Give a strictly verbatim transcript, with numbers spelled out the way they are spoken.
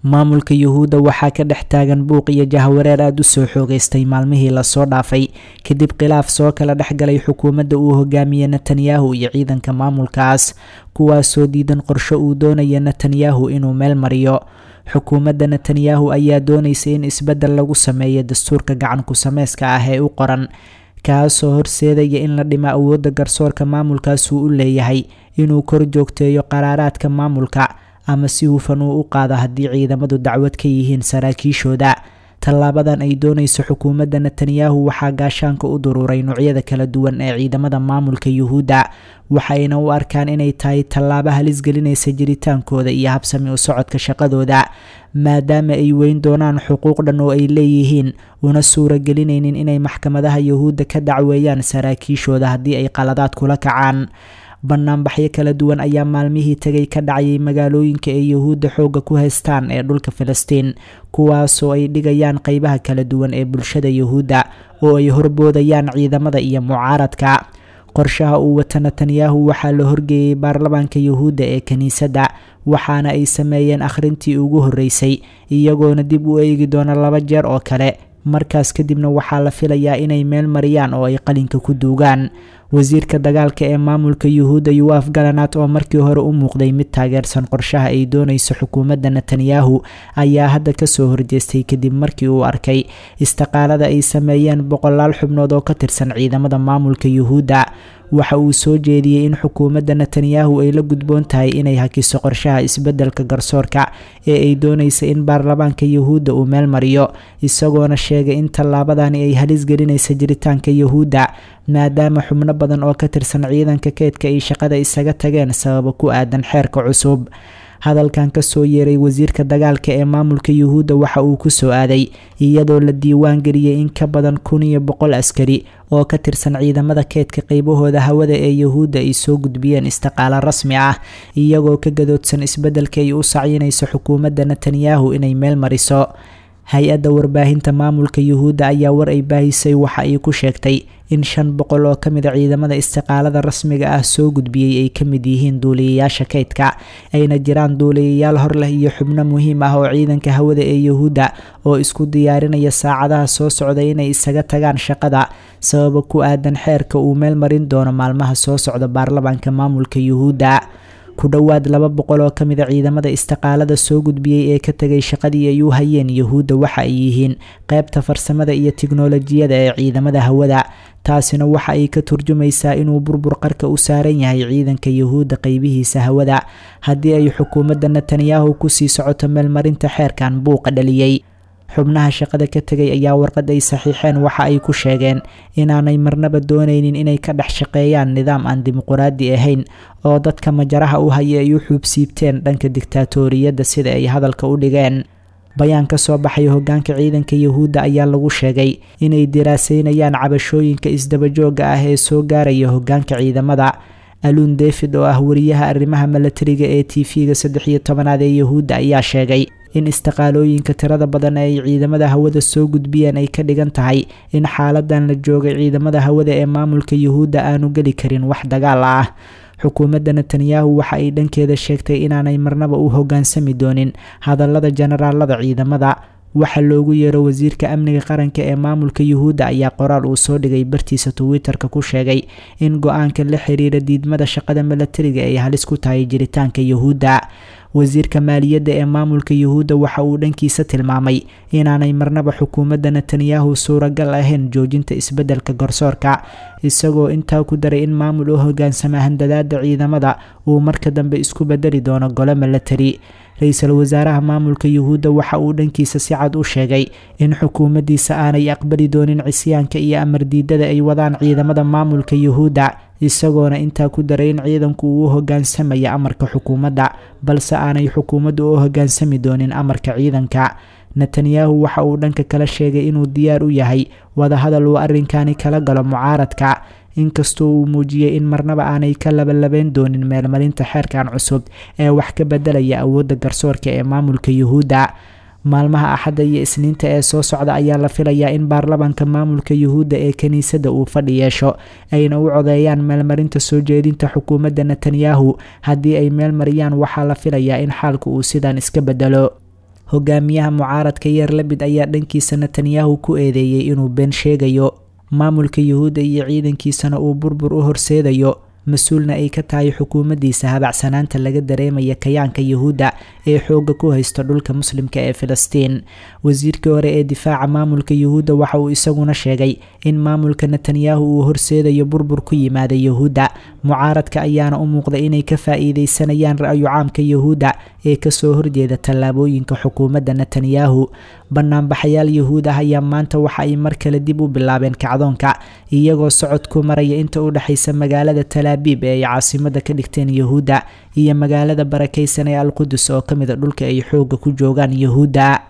Maamulka Yuhuudda waxaa ka dhex taagan buuq iyo jahwareer aada u soo xoogeystay maalmihii lasoo dhaafay, kadib khilaaf soo kala dhex galay xukuumadda uu hogaamiye Netanyahu iyo ciidanka maamulkaas, kuwaasoo diidan qorsho uu doonaya Netanyahu inuu meel mariyo. Xukuumadda Netanyahu ayaa doonaysa in isbeddel lagu sameeyo dastuurka gacan ku-sameyska ah ee u qoran, kaasoo horseedaya in la dhimo awoodda garsoorka maamulkaas uu u leeyahay inuu kor joogteeyo qaraaraadka maamulka ama si hufan uu u qaado haddii ciidamadu dacwad ka yihiin saraakiishooda. Tallaabadan ay doonayso xukuumadda Netanyahu waxaa gaashaanka u duruuray noocyada kala duwan ee ciidamada maamulka Yuhuudda, waxayna u arkaan inay tahay tallaabo halis gelinaysa jiritaankooda iyo habsami u socodka shaqadooda, maadaama ay weyn doonaan xuquuq dhan oo ay leeyihiin, una suuragelinaynin inay maxkamadaha Yuhuudda ka dacweeyaan saraakiishooda haddii ay qaladaad kula kacaan. Banaanbaxyo kala duwan ayaa maalmihii tagay ka dhacayay magaalooyinka ay Yuhuudda xoogga ku haystaan ee dhulka Filistiin, kuwaasoo ay dhigayaan qeybaha kala duwan ee bulshada Yuhuudda oo ay horboodayaan ciidamada iyo mucaaradka. Qorshaha uu wata Netanyahu waxaa la horgeeyey baarlamaanka Yuhuudda ee kiniisadda, waxaana ay sameeyeen akhrintii ugu horreysay, iyagoona dib u eegi doona laba jeer oo kale. Markaas kadibna waxaa la filayaa inay meel mariyaan oo ay qalinka ku duugaan. Wasiirka dagaalka ee maamulka Yuhuudda Yuaf Galanat, oo markii hore u muuqday mid taageersan qorshaha ay doonayso xukuumadda Netanyahu, ayaa hadda kasoo horjeestay kadib markii uu arkay istiqaalada ay sameeyeen boqolaal xubnood oo ka tirsan ciidamada maamulka Yuhuudda. Waxa uu soo jeediyey in xukuumadda Netanyahu ay la gudboon tahay inay hakiso qorshaha isbeddelka garsoorka ee ay doonaysa in baarlamaanka Yuhuudda uu meel mariyo, isagoona sheegay in tallaabadani ay halis gelinaysa jiritaanka Yuhuudda, maadaama xubno badan oo ka tirsan ciidanka keydka ay shaqada isaga tageen sababo ku aadan xeerka cusub. Hadalkan kasoo yeeray wasiirka dagaalka ee maamulka Yuhuudda waxa uu ku soo aaday iyadoo la diiwaan geliyey in ka badan kun iyo boqol askari oo ka tirsan ciidamada keydka qeybahooda hawada ee Yuhuudda ay soo gudbiyeen istiqaalo rasmi ah, iyagoo ka gadoodsan isbeddelka ay u sacyinayso xukuumadda Netanyahu inay meel mariso. Hay-adda warbaahinta maamulka Yuhuudda ayaa war ay baahisay waxa ay ku sheegtay in shan boqol oo ka mid a ciidamada istiqaalada rasmiga ah soo gudbiyey ay ka mid yihiin duuliyayaasha kaydka, ayna jiraan duuliyayaal hor leh iyo xubno muhiim ah oo ciidanka hawada ee Yuhuudda oo isku diyaarinaya saacadaha soo socda inay isaga tagaan shaqada sababa ku aadan xeerka uu meel marin doono maalmaha soo socda baarlamaanka maamulka Yuhuudda. Ku dhowaad laba boqol oo ka mid a ciidamada istiqaalada soo gudbiyey ee ka tegay shaqadii ay u hayeen Yuhuudda waxa ay yihiin qeybta farsamada iyo tiknolojiyada ee ciidamada hawada, taasina waxa ay ka turjumaysaa inuu burbur qarka u saaran yahay ciidanka Yuhuudda qeybihiisa hawada haddii ay xukuumadda Netanyahu kusii socoto meelmarinta xeerkan buuqa dhaliyey. Xubnaha shaqada ka tegay ayaa warqad ay saxiixeen waxa ay ku sheegeen inaanay marnaba doonaynin inay ka dhex shaqeeyaan nidaam aan dimuquraadi ahayn oo dadka majaraha u haya ay u xuubsiibteen dhanka diktaatoriyadda, sida ay hadalka u dhigeen. Bayaan ka soo baxay hogaanka ciidanka Yuhuudda ayaa lagu sheegay inay diraaseynayaan cabashooyinka isdabajooga ah ee soo gaaraya hogaanka ciidamada. Alun David oo ah wariyaha arrimaha milatariga ee T V-ga saddex iyo tobanaad ee Yuhuudda ayaa sheegay in istiqaalooyinka tirada badan ee ay ciidamada hawada soo gudbiyeen ay ka dhigan tahay in xaaladan la joogay ciidamada hawada ee maamulka Yuhuudda aanu geli karin wax dagaal ah. Xukuumadda Netanyahu waxa ay dhankeeda sheegtay inaanay marnaba u hogaansami doonin hadallada jenaraalada ciidamada. Waxa loogu yeero wasiirka amniga qaranka ee maamulka Yuhuudda ayaa qoraal uu soo dhigay bartiisa Twitter-ka ku sheegay in go-aanka la xiriira diidmada shaqada milatariga ay halis ku tahay jiritaanka Yuhuudda. Wasiirka maaliyadda ee maamulka Yuhuudda waxa uu dhankiisa tilmaamay inaanay marnaba xukuumadda Netanyahu suuragal ahayn joojinta isbeddelka garsoorka, isagoo intaa ku daray in maamul u hogaansama handadaada ciidamada uu marka dambe isku bedeli doono gole milatari. Ra-iisul wasaaraha maamulka Yuhuudda waxa uu dhankiisa si cad u sheegay in xukuumaddiisa aanay aqbali doonin cisyaanka iyo amar diidada ay wadaan ciidamada maamulka Yuhuudda, isagoona intaa ku daray in ciidanku uu u hogaansamaya amarka xukuumadda, balse aanay xukuumaddu u hogaansami doonin amarka ciidanka. Netanyahu waxa uu dhanka kala sheegay inuu diyaar u yahay wadahadal uu arrinkani kala galo mucaaradka, inkastoo uu muujiyey in marnaba aanay ka labalabeyn doonin meelmarinta xeerkan cusub ee wax ka bedelaya awoodda garsoorka ee maamulka Yuhuudda. Maalmaha Axadda iyo Isniinta ee soo socda ayaa la filayaa in baarlamaanka maamulka Yuhuudda ee kiniisadda uu fadhi yeesho, ayna u codeeyaan meelmarinta soo jeedinta xukuumadda Netanyahu. Haddii ay meel mariyaan, waxaa la filayaa in xaalku uu sidan iska bedelo. Hogaamiyaha mucaaradka Yeer Labid ayaa dhankiisa Netanyahu ku eedeeyey inuu been sheegayo, maamulka Yuhuudda iyo ciidankiisana uu burbur u horseedayo, mas-uulna ay ka tahay xukuumaddiisa habacsanaanta laga dareemaya kayaanka Yuhuudda ee xoogga ku haysta dhulka muslimka ee Filistiin. Wasiirkii hore ee difaaca maamulka Yuhuudda waxa uu isaguna sheegay in maamulka Netanyahu uu horseedayo burbur ku yimaada Yuhuudda. Mucaaradka ayaana u muuqda inay ka faa'iideysanayaan ra'yu caamka Yuhuudda ee kasoo horjeeda tallaabooyinka xukuumadda Netanyahu. Banaanbaxayaal Yuhuud ah ayaa maanta waxa ay mar kale dib u bilaabeen kacdoonka, iyagoo socod ku maraya inta u dhexaysa magaalada Talaabiib ee ay caasimada ka dhigteen Yuhuudda iyo magaalada barakeysan ee Alqudus oo ka mid a dhulka ay xoogga ku joogaan Yuhuudda.